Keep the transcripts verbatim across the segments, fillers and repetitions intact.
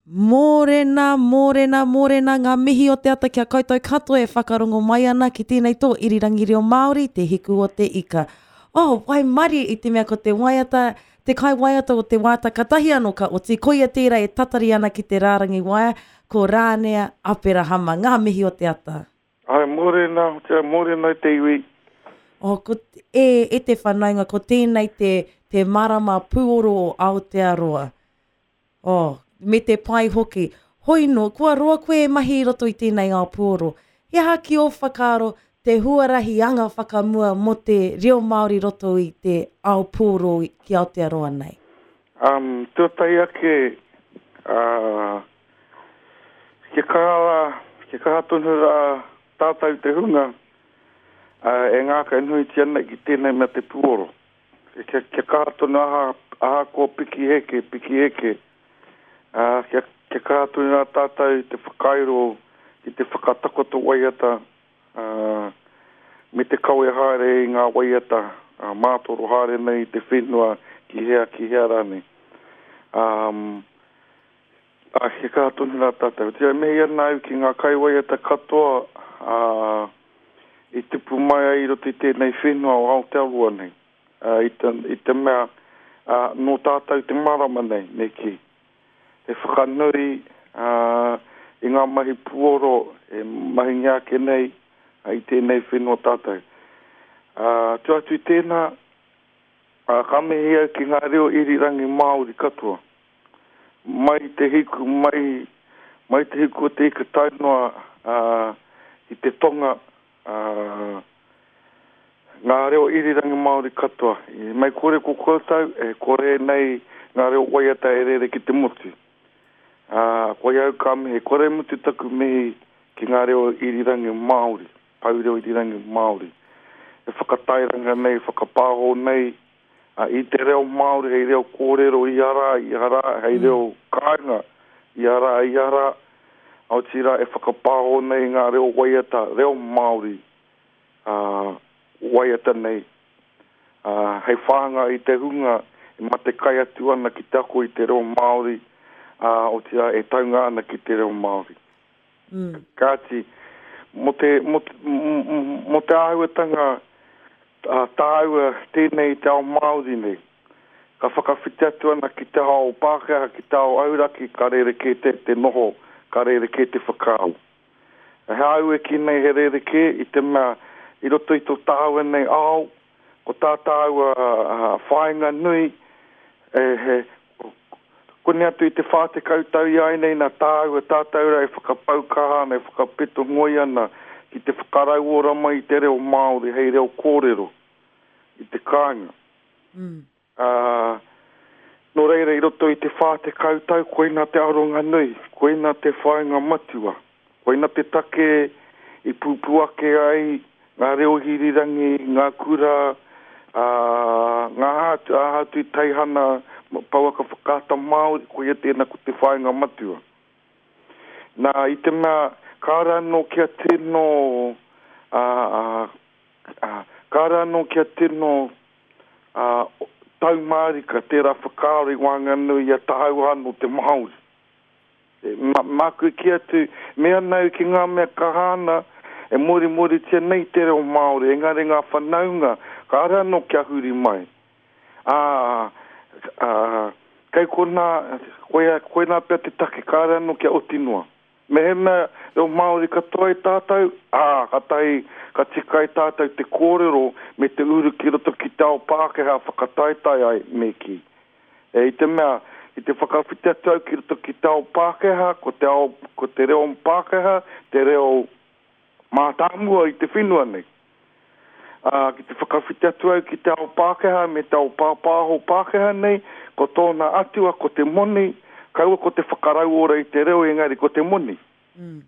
Mōrena, mōrena, mōrena, ngā mihi o te ata kia koutou katoa e whakarongo mai ana ki tēnei tō irirangi reo Māori, te hiku o te ika. Oh, waimarie i te mea ko te waiata, te kai waiata o te wāta katahi anō ka oti, koia tērā e tatari ana ki te rārangi waea, ko Rānea Aperahama, ngā mihi o te ata. Ai, mōrena, te mōrena te iwi. Oh, ko, e, e te whanaunga, ko tēnei te, te marama pūoro o Aotearoa. Oh, me te pai hoki. Hoi no, kua roa koe e mahi i roto i tēnei ao pūoro. He aha ki ō whakaaro te huarahi anga whakamua mō te reo Māori roto i te ao pūoro ki Aotearoa nei? Um, tuatahi ake, uh, kia kaha rā, kia kaha tonu rā tātou te hunga uh, e ngākau nuitia nei ki tēnei mea te pūoro. Kia, kia kaha tonu aha, aha ko piki heke, piki heke. Uh, kia, kia kaha tonu rā tātou te whakairo ki te whakatakoto waiata uh, me te kawe haere i ngā waiata uh, mātoro haere nei te whenua ki hea, ki hea rānei. Um, a, kia kaha tonu rā tātou. Tia mihi ana au ki ngā kaiwaiata katoa uh, i tupu mai ai i roto i tēnei whenua o Aotearoa nei. Uh, i, te, i te mea uh, nō tātou te marama nei, me ki. E whakanui uh, i ngā mahi puoro e mahingia ake nei uh, i tēnei whenua tātou. Uh, tu atu i tēnā, uh, ka mihi au ki ngā reo irirangi Māori katoa. Mai te hiku, mai, mai te hiku o te ika tae noa uh, i te tonga, uh, ngā reo irirangi Māori katoa. I mai kore ko koutou, e kore nei ngā reo waiata e rere ki te motu. Uh, koe au ka mihi, kore mutu taku mihi ki ngā reo irirangi Māori, pau reo irirangi Māori. E whakatairanga nei, whakapāho nei, uh, i te reo Māori hei reo kōrero i ara, i ara, hei reo kāinga, i ara, i ara. Aotira e whakapāho nei ngā reo waiata, reo Māori, uh, waiata nei. Uh, hei whānga i te hunga, e mate kai atu ana ki te ako i te reo Māori, uh, otirā e taunga ana ki te reo Māori. Mm. Kāti, mō te, mō te, mō te āhuatanga uh, tāua tēnei te ao Māori nei, ka whakawhiti atu ana ki te ao Pākehā, ki te ao auraki, ka rerekē te, te noho, ka rerekē te whakaaro. He au e ki nei he rerekē i te mea i roto i tō tāua nei ao, ko tā tāua uh, whāinga nui, e, he, kone atu i te whā te kautau i ai nei nā tāua tātou rā e whakapau kaha ana, e whakapeto ngoi ana ki te whakarauora mai i te reo Māori hei reo kōrero i te kāinga. Mm. Uh, nō reira i roto i te whā te kautau, koina te aronga nui, koina te whāinga matua, koina te take i pūpū ake ai ngā reo hirirangi, ngā kura, uh, ngā hātu, āhatu i teihana, pouaka whakaata Māori, koia tēnā ko te whāinga matua. Nā, i te mea, kāre anō kia tino, uh, uh, kāre anō kia tino uh, taumārika tērā whakaaro i waenganui i a tāua anō te Māori. E, ma, māku ki atu, me anau ki ngā mea kaha ana, e morimoritia nei te reo Māori, engari ngā whanaunga, kāre anō kia huri mai. Ā, uh, kei kona, koia, koina pea te take, kāre anō kia oti noa. Mehemea reo Māori katoa i tātou, ā, katahi, ka tika i tātou te kōrero me te uru ki roto ki te ao Pākehā whakataetae ai me ki. E, i te mea, i te whakawhiti atu au ki roto ki te ao Pākehā, ko te, ao, ko te reo Pākehā, te reo mātāmua i te whenua nei. Uh, ki te whakawhiti atu au ki te ao Pākehā me te ao pāpāho Pākehā nei, ko tōna atua, ko te moni, kaua ko te whakarauora i te reo engari ko te moni. Mm.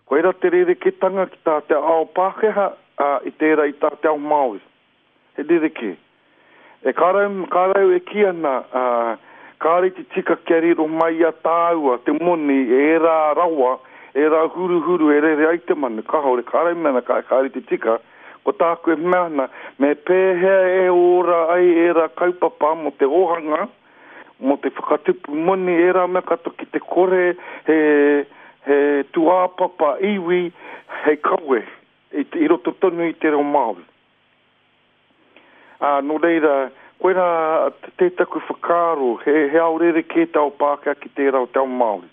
Koira te rereketanga ki tā te ao Pākehā uh, i tērā i tā te ao Māori. He rerekē. E kārau, kārau e ki ana, uh, kāre te tika kia riro mai a tāua, te moni, e rā rawa, e rā huruhuru, e rere ai te manu, kāore, kāre mena, kāre te tika, ko tāku e mea ana, me pēhea e ora ai e rā kaupapa mō te ohanga, mō te whakatupu moni, ērā mea katoa ki te kore he, he tūāpapa iwi hei kawe i, i roto tonu i te reo Māori. Ā, nō reira, koirā te taku whakaaro, he, he ao rerekē te ao Pākehā ki tērā o te ao Māori.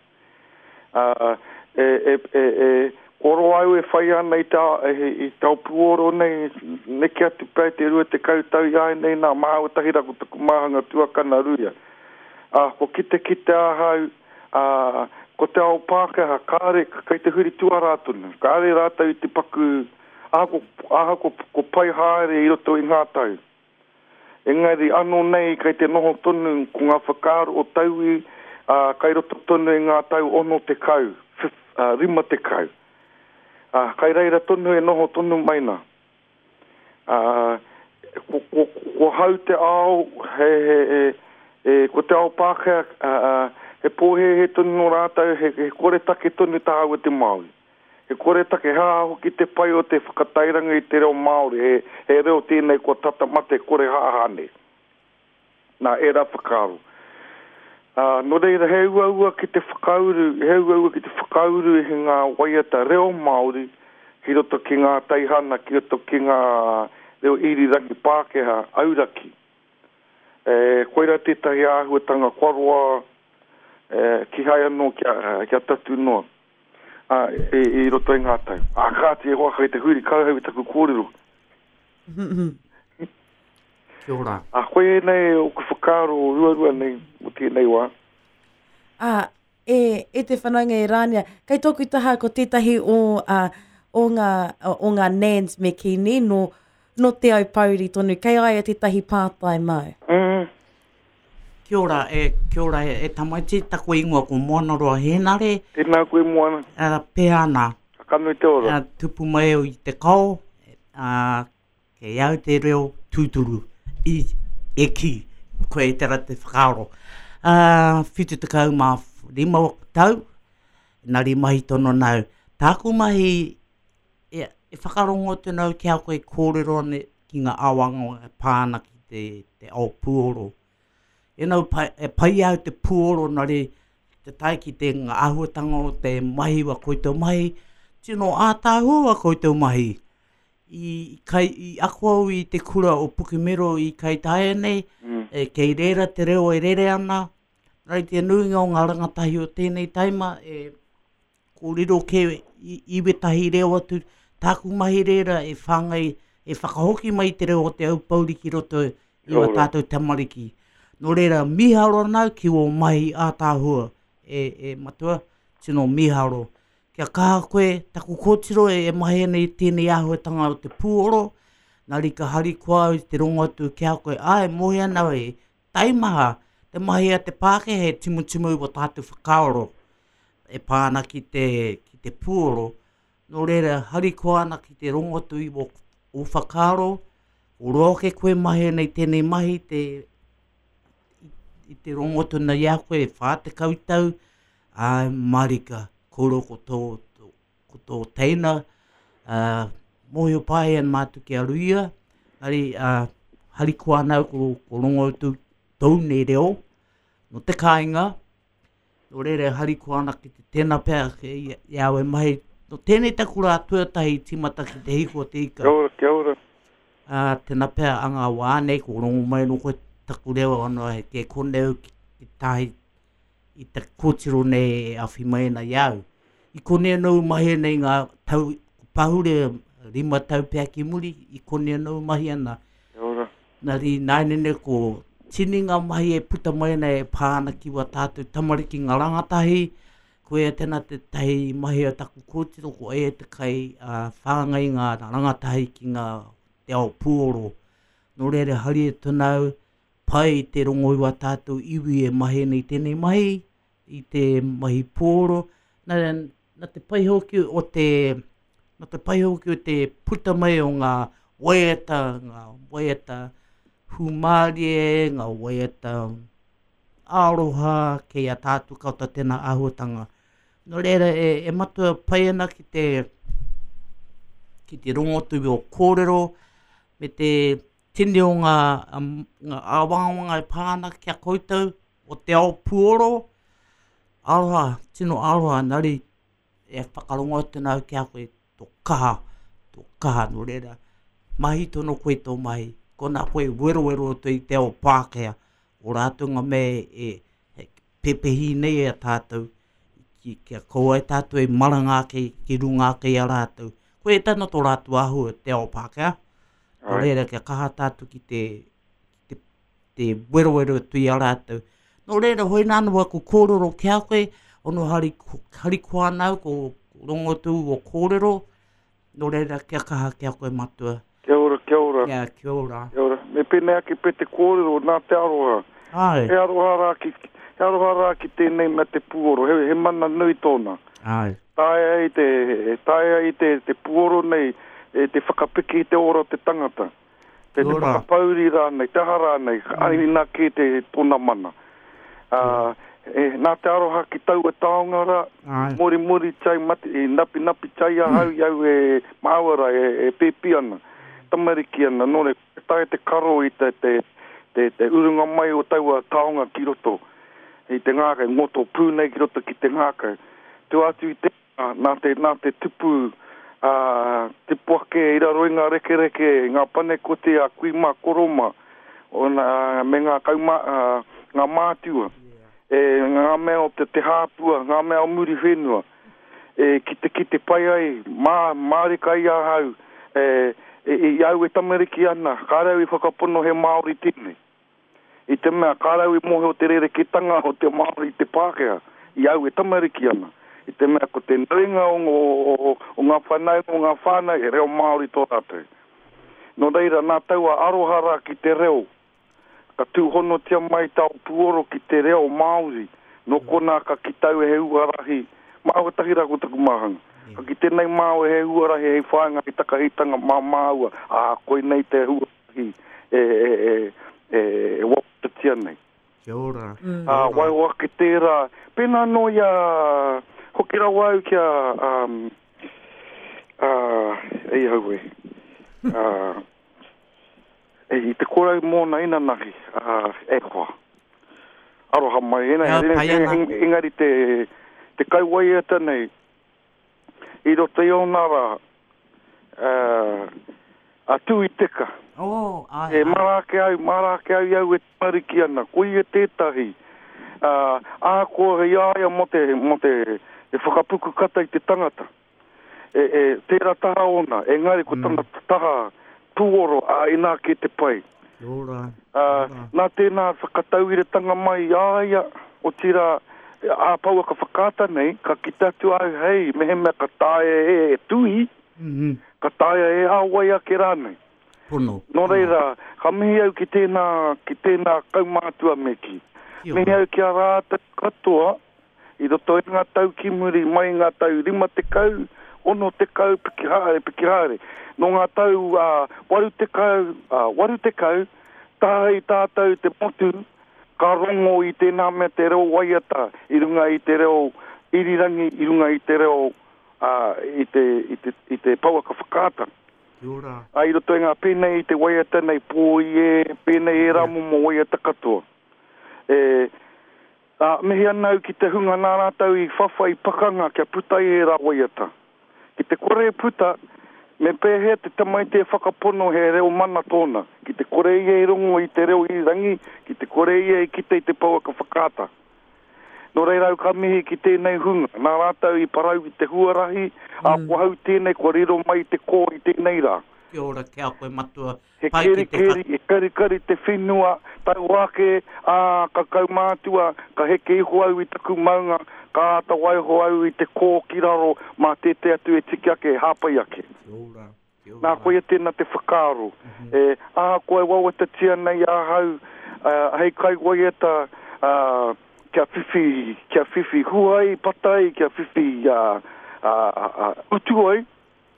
Ā, e, e, e, e, kua roa au e whai ana i te, i te ao puoro nei, neke atu pea i te rua tekau tau i āianei nā, māua tahi rā ko taku māhanga tuakana Ruia. Ā, kua kitekite ahau, ā, ko te ao Pākehā, kāre, kei te huri tuarā tonu, kāre rātou i te paku, ahako, ahako ko pai haere i roto i ngā tau. Engari anō nei kei te noho tonu ko ngā whakaaro o tauwi, ā, kei roto tonu i ngā tau ono tekau, ā, rima tekau. Ā, kai reira tonu e noho tonu mai nā. Ā, ko, ko, ko hau te ao, he, he, he, e, ko te ao Pākehā, ā, ā, he pōhēhē tonu nō rātou, he, he koretake tonu tāua te Māori. He koretake, he aha hoki te pai o te whakatairanga i te reo Māori, he, he reo tēnei kua tata mate kore hāhā nei. Nā, ērā whakaaro. Ā, nō reira, he uaua ki te whakauru, he uaua ki te whakauru i ngā waiata reo Māori ki roto ki ngā teihana, ki roto ki ngā reo irirangi Pākehā, auraki. E, koirā tētahi āhuatanga kua roa, e, kihai anō kia, kia tatū noa, ā, i, i roto i ngā tau. Ā, kāti e hoa kei te huri kauhau i taku kōrero. Kia ora. Ā, koia ēnei oku whakaaro ruarua nei mō tēnei wā. Ā, e, e te whanaunga e Rānia, kei tōku taha ko tētahi o, ā, o ngā, o ngā nans me kī nei, nō, nō Te Aupōuri tonu, kei a ia tētahi pātai māu. Mm. Kia ora, e, kia ora e, e tamaiti, taku ingoa ko Moanaroa Hēnare. Tēnā koe Moana. Uh, Pēana. Ka nui te ora. Uh, tupu mai au i te kao, uh, kei au te reo tūturu, i, e ki, koe e tera te whakaaro. Uh, whitu tekau mā rima tau, nari mahi tono nau. Tāku mahi, e, e whakarongo atu nau ki a koe kōrero ane ki ngā awanga e pā ana ki te, te ao puoro. E nau pai, e pai au te puoro nari te tae ki te ngā āhuatanga o te mahi wa koutou mahi, tino ātaahua wa koutou mahi. I, kai, i ako au i te kura o Pukemiro i Kaitaia nei, mm. e, kei reira te reo e rere ana, nari te nuinga o ngā rangatahi o tēnei taima, e kōrero ke i, i wetahi reo atu, tāku mahi reira e whāngai, e whakahoki mai te reo o te Aupōuri ki roto i wa tātou tamariki. Nō reira, miharo nau ki o mahi ātaahua, e, e matua, tino miharo. Kia kaha koe, taku kōtiro e, e mahi ana i tēnei āhuatanga o te pūoro, nari ka harikoa au i te rongo atu ki a koe, ai, mohi ana e, taimaha, te mahi a te Pākehā e timutimu i wa tātou whakaaro, e pā ana ki te, ki te pūoro. Nō reira, harikoa ana ki te rongo atu i o, o whakaaro, o roa ke koe mahi ana i tēnei mahi, te, i te rongo atu nei a koe, whā tekau tau, ai, marika, koro ko tō, tō, ko tō teina, uh, mōhio pai an mātou ki a Ruia, ari, uh, harikoa ana ko, ko rongo atu tōu nei reo, no te kāinga, nō reira harikoa ana ki te tēnā pea, ke i, i au e mahi, no tēnei taku rā tuatahi tīmata ki te hiko o te ika. Kia ora, kia ora. Uh, tēnā pea a ngā wā nei, ko rongo mai no koe taku reo ano he ke koneu ki, ki tahi i te kōtiro nei e awhi mai ana i au. I konei anō mahi ana i ngā tau, pahure rima tau pea ki muri, i konei anō mahi ana. Kia ora. Nari nāinene ko tini ngā mahi e puta mai ana e pā ana ki wā tātou tamariki ngā rangatahi, koe e tēnā te tahi mahi a taku kōtiro, ko e te kai uh, whāngai ngā rangatahi ki ngā te ao puoro. Nō reira hari e tonau, pai te rongo i wā tātou iwi e mahi nei tēnei mahi, i te mahi puoro. Nā, nā te pai hoki o te, nā te pai hoki o te puta mai o ngā waiata, ngā waiata hūmārie, ngā waiata aroha kei a tātou katoa tēnā āhuatanga. Nō reira, e, e matua pai ana ki te, ki te rongo atu i o kōrero, me te tini o ngā, um, ngā āwangawanga e pā ana ki a koutou, o te ao puoro. Aroha, tino aroha, nari e whakarongo atu nau ki a koe tō kaha, tō kaha nō reira. Mahi tono koe tō mahi, kona koe werowero atu i te ao Pākehā, o rātou ngā mea e, e pepehi nei e tātou, ki, kia kaua e tātou e maranga ake ki runga ake i a rātou. Koe e tana tō rātou āhua te ao Pākehā, nō reira kia kaha tātou ki te, ki te, te werowero atu i a rātou. Nō reira, hoi nāna waku kōrero ki a koe, ono hari, hari koa nau, ko rongo tū o kōrero, nō reira kia kaha ki a koe matua. Kia ora, kia ora. Kia, kia ora. Kia ora. Me pēnei ake pe te kōrero nā te aroha. Ai. He aroha rā ki, he aroha rā ki tēnei mea te puoro, he, he mana nui tōna. Ai. Taea ai te, taea ai te, te puoro nei, e te whakapiki i te ora o te tangata. Te, te whakapauri rānei, te aha rānei, mm. ai nā kē te tōna mana. Uh, e, nā te aroha ki taua taonga rā, mori mori tai mati, e napi napi tai ahau mm. i au e māua rā, e, e pēpi ana, tamariki ana, nō re, tae te karo i te, te, te, te urunga mai o taua taonga ki roto, i te ngākau, ngoto pū nei ki roto ki te ngākau. Tua atu i te, nā te, nā te tupu, uh, tipu ake i raro i ngā rekereke, ngā panekote a kui mā koroma, ona, me ngā kauma, uh, ngā mātua. E, ngā mea o te, te hāpua, ngā mea o muri whenua, e, ki te ki te pai ai, mā, mārika i ahau, e, e, i au e tamariki ana, kāre au i whakapono he Māori tēnei. I te mea, kāre au i mōhio te rereketanga o te Māori i te Pākehā, i au e tamariki ana. I te mea, ko te nuinga o, o, o, o ngā whanau, o ngā whānau, e reo Māori tō rātou. Nō reira, nā taua aroha rā ki te reo, ka tūhonotia mai tau puoro ki te reo Māori, nō kona ka ki tau e he uarahi, māua tahi rā ko taku māhanga. Ka ki tēnei māua he uarahi hei whāinga i takahitanga mā māua, ā, koinei te huarahi e, e, e, e, e wawatatia nei. Kia ora. Mm. Ā, waiho ake tērā, pēnā nō ia, hoki rawa au kia, um, uh, ei hau e, uh, e, i te korau mōna inanahi, uh, e hoa. Aroha mai, ena, Ea, ena, pai ana. eng, engari te, te kaiwaiata nei, i roto i ōna rā, uh, a tū i teka. Oh, ai, E ai. mara ake au, mara ake au i au e tamariki ana, ko ia tētahi. Uh, ahakoa i a ia mō te, mō te, te whakapuku kata i te tangata. E, e, tērā taha ona, engari ko tana taha puoro a inā ke te pai. Kia ora. Uh, nā tēnā whakatauiratanga mai i a ia, o tira a pauaka whakaata nei, ka kite atu au, hei, mehemea ka taea e, e tui, Mm -hmm. ka taea e a wai ake rānei. Pono. Nō reira, ka mihi au ki tēnā, ki tēnā kaumātua me ki. Kia Mihi ora. au ki a rātou katoa, i roto i ngā tau ki muri, mai ngā tau rima tekau, ono tekau, piki haere, piki haere. Nō ngā tau uh, waru tekau, uh, waru tekau, tāhei tātou te motu, ka rongo i tēnā mea te reo waiata, i runga i te reo irirangi, i runga i te reo uh, i, te, i, te, i te pouaka whakaata. Kia ora. A i roto i ngā pēnei i te waiata nei pōi e, pēnei e rā momo waiata katoa. E, a, mihi ana au ki te hunga nā rātou i whawhai pakanga kia puta i e rā waiata. Ki te kore e puta, me pēhea te tamaiti e whakapono he reo mana tōna. Ki te kore ia i rongo i te reo irirangi, ki te kore ia i kite i te pouaka whakaata. Nō reira au ka mihi ki tēnei hunga. Nā rātou i parau i te huarahi, mm. a kua hau tēnei, kua riro mai te kō i tēnei rā. Kia ora kia koe matua. He Pai ki keri te keri, he kari kari te whenua, tau ake, ā, ka kaumātua, ka heke iho au i taku maunga, ka āta waiho au i te kō ki raro, mā tēte atu e tiki ake, e hāpai ake. Kia ora. Kia ora. Nā koia tēnā te whakaaro. Mm -hmm. E, ahakoa e wawatatia nei ahau, uh, hei kai waiata, uh, kia whiwhi, kia whiwhi huai, patai, kia whiwhi uh, uh, uh, utu ai.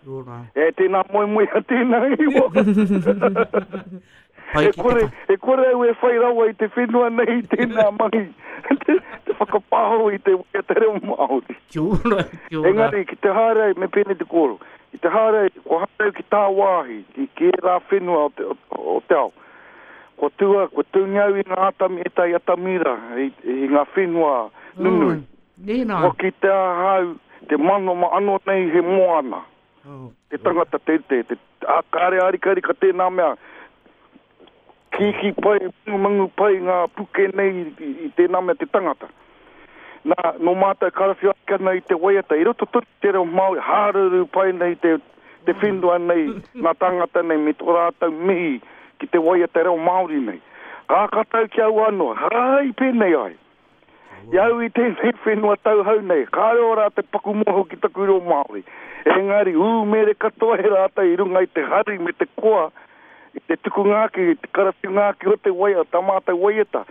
Kia ora. E tēnā moe moe a tēnā iwa. Pai E ki te kore, e kore au e whai rawa i te whenua nei tēnā mahi. Te, te whakapāho i te waiata reo Māori. Kia ora, kia ora. Engari, ki te haere ai, me pēnei te kōrero. Ki te haere ai, kua haere au ki tāwāhi, ki, ki ērā whenua o te, o, o te ao. Ko tua, ko tūngi au i ngā atami, e tai atamira, i, i ngā whenua nunui. Nēnā. Kua ki te ahau, te mano ma ano nei he moana. Oh. Te tangata te te, te a kāre arikari ka tēnā mea. Kiki pai, mangu pai ngā puke nei i, i, i tēnā mea te tangata. Nā, no mātou karawhiu ake ana i te waiata, i roto tonu te reo Māori, hāruru pai nei te, te whenua nei, ngā tangata nei, me tō rātou mihi ki te waiata reo Māori nei. Ka katau ki au anō, hai pēnei ai. I au i tēnei whenua tauhau nei, kāre o rātou paku moho ki taku reo Māori. Engari, ū mere katoa he rātou i runga i te hari me te koa, i te tuku ngāki, i te karawhiu ngāki o te waiata, tā mātou waiata.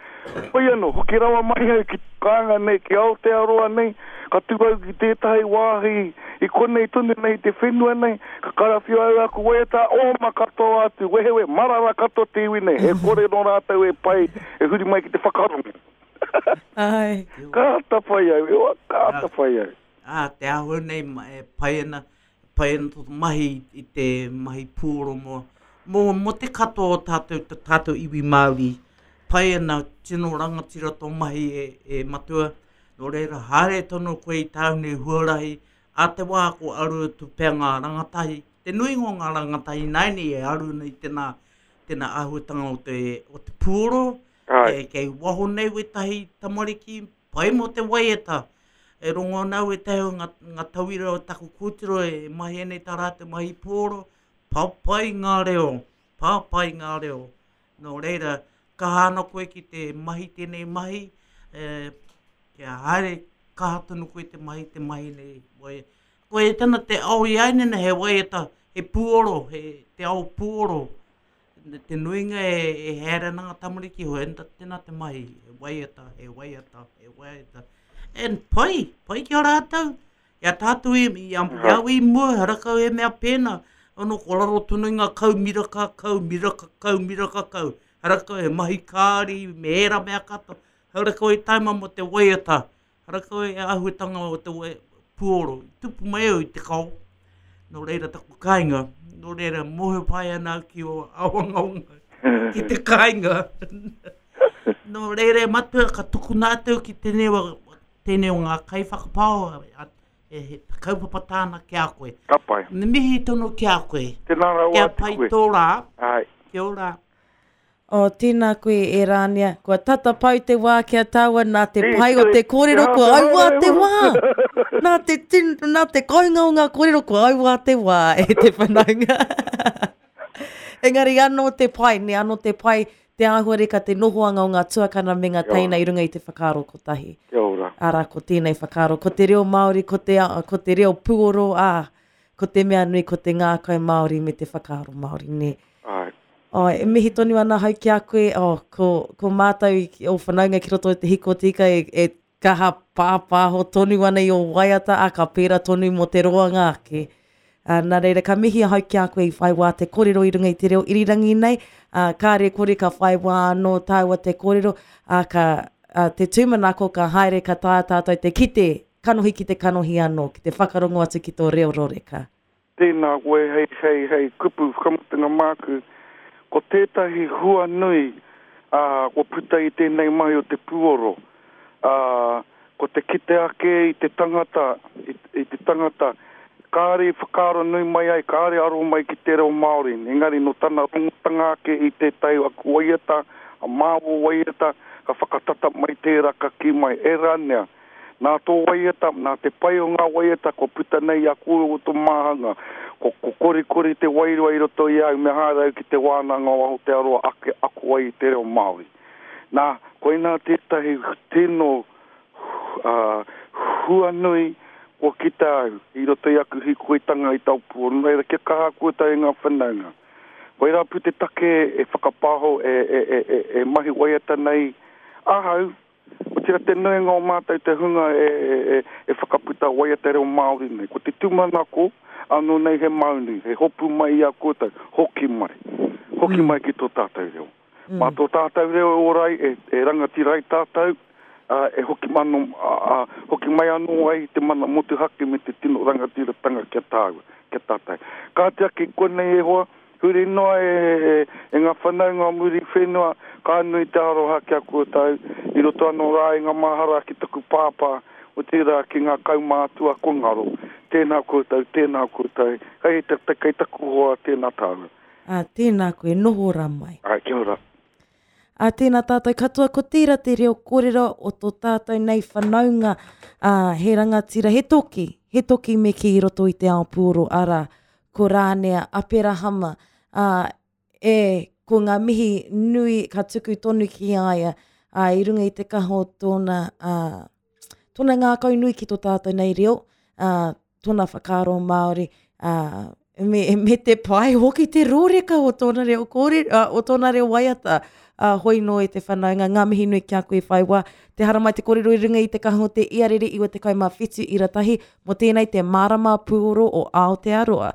Hoi anō, hoki rawa mai au ki kānga nei, ki Aotearoa nei, ka tū au ki tētahi wāhi, i konei tonu nei te whenua nei, ka karawhiu au aku waiata, oma katoa atu, wehewe, marara katoa te iwi nei, e kore nō rātou e pai, e huri mai ki te whakarongo. Ai. Ka ata whai au, ewa, ka ata whai au. Ā, te āhua nei ma- e pai ana, pai ana tō mahi i te mahi pūoro mō, mō, mō te katoa o tātou, tā tātou iwi Māori. Pai ana, tino rangatira tō mahi e, e matua. Nō reira, haere tonu koe i tāu nei huarahi, a te wā ko aru atu pea ngā rangatahi. Te nuinga o ngā rangatahi nāini e aru nei tēnā, tēnā āhuatanga o te, o te pūoro. Ai. E, kei waho nei wetahi tamariki, pai mō te waiata. E rongo ana au wetahi o ngā, ngā tauira o taku kōtiro e mahi nei tā rātou mahi pōro, papai ngā reo, papai ngā reo. Nō reira, kaha ana koe ki te mahi tēnei mahi, e, kia haere kaha tonu koe te mahi te mahi nei. Wai, koe e tana te ao i ainena he waiata, he pūoro, he te ao pūoro. Te nuinga e, e haere ana ngā tamariki, hoi enta tēnā te mahi, he waiata, he waiata, he waiata. And pai, pai ki a rātou. Ia tātou i, i, a, i au i mua, harakau he mea pēnā. Ono ko raro tonu i ngā kau miraka, kau miraka, kau miraka, kau. Harakau he mahi kāri, me ērā mea katoa. Harakau e taima mo te waiata. Harakau e āhuatanga o te wai, pūoro. I tupu mai au i te kao. Nō reira taku kāinga. Nō reira mōhio pai ana au ki o awangaonga. Ki te kāinga. Nō reira e matua ka tukuna atu ki tēnei o, tēnei o ngā kaiwhakapao a, e, he kaupapa tāna ki a koe. Ka pai. Me mihi tonu ki a koe. Tēnā rawa Kia atu pai koe. tō rā. Ai. Kia ora. O, tēnā koe e Rānia, kua tata pau te wā kia tāua nā te Te- pai o te kōrero, kua te- auā te wā. Nā te, tin, nā te kounga o ngā kōrero, kua auā te wā e te whanaunga. Engari anō te pai, ne anō te pai, te āhuareka te nohoanga o ngā tuakana me ngā Kia ora. teina i runga i te whakaaro kotahi. Kia ora. Arā, ko tēnei whakaaro, ko te reo Māori, ko te, ko te reo pūoro, ā, ko te mea nui, ko te ngākau Māori me te whakaaro Māori, ne. Ai. Oh, e mihi tonu ana hau ki a koe, oh, ko, ko mātou i, o whanaunga ki roto i te hiko tika e, e kaha pāpāho tonu ana i o waiata, a ka pērā tonu mō te roanga ake. Uh, nā reira, ka mihi ahau ki a koe i whai wā te kōrero i runga i te reo irirangi nei, uh, kāre kore ka whai wā anō tāua te kōrero, uh, ka, uh, te tūmanako ka haere ka taea tātou te kite, kanohi ki te kanohi anō, ki te whakarongo atu ki tō reo roreka. Tēnā koe hei, hei, hei kupu whakamutunga māku, ko tētahi hua nui uh, kua puta i tēnei mahi o te pūoro. Uh, ko te kite ake i te tangata, i, i te tangata, kāre i whakaaro nui mai ai, kāre aro mai ki te reo Māori. Engari no tana rongotanga ake i tētahi aku waiata, a māo waiata, ka whakatata mai tērā ka ki mai, e rānea. Nā tō waiata, nā te pai o ngā waiata, kua puta nei a koe o tō māhanga. Ko, ko korikori te wairua i roto i au, me haere au ki te wānanga o Aotearoa ake ako ai i te reo Māori. Nā, koinā tētahi tino uh, hua nui kua kita au i roto i aku hikoitanga i taupua. Nō reira, kia kaha koutou i ngā whanaunga. Koirā pū te take e whakapaho e, e, e, e, e mahi waiata nei ahau, o tira te nuinga o mātou te hunga e, e, e, e whakaputa waiata reo Māori nei. Ko te tūmanako, anō nei he maunu, he hopu mai i a koutou, hoki mai. Hoki mai ki tō tātou reo. Mm. Mā tō tātou reo e ora ai, e, e rangatira ai tātou, uh, e hoki, mano, uh, uh, hoki mai anō ai te mana motuhake me te tino rangatiratanga kia tāua, kia tātou. Ka te ake konei e hoa, Huri noa e, e, e ngā whanaunga o Muriwhenua, ka nui te aroha ki a koutou, i roto anō rā i ngā mahara ki taku pāpā, otirā ki ngā kaumātua kua ngaro. Tēnā koutou, tēnā koutou, kei, te, kei taku hoa, tēnā tāua. Ā, tēnā koe, noho rā mai. Āe, kia ora. Ā, tēnā tātou katoa, ko tērā te reo kōrero o tō tātou nei whanaunga, ā, he rangatira, he toki, he toki me kī i roto i te ao puoro, arā, ko Rānea Aperahama, ā, e, ko ngā mihi nui ka tuku tonu ki a ia, ā, i runga i te kaha o tōna, ā, tōna ngākau nui ki tō tātou nei reo, ā, tōna whakaaro Māori, ā, me, me te pai hoki te rōreka o tōna reo kōrero, ā, o tōna reo waiata, ā, hoi nō e te whanaunga, ngā mihi nui ki a koe whai wā, te haramai te kōrero i runga i te kaha o te iarere iwa tekau mā whitu ira tahi, mō tēnei te marama pūoro o Aotearoa.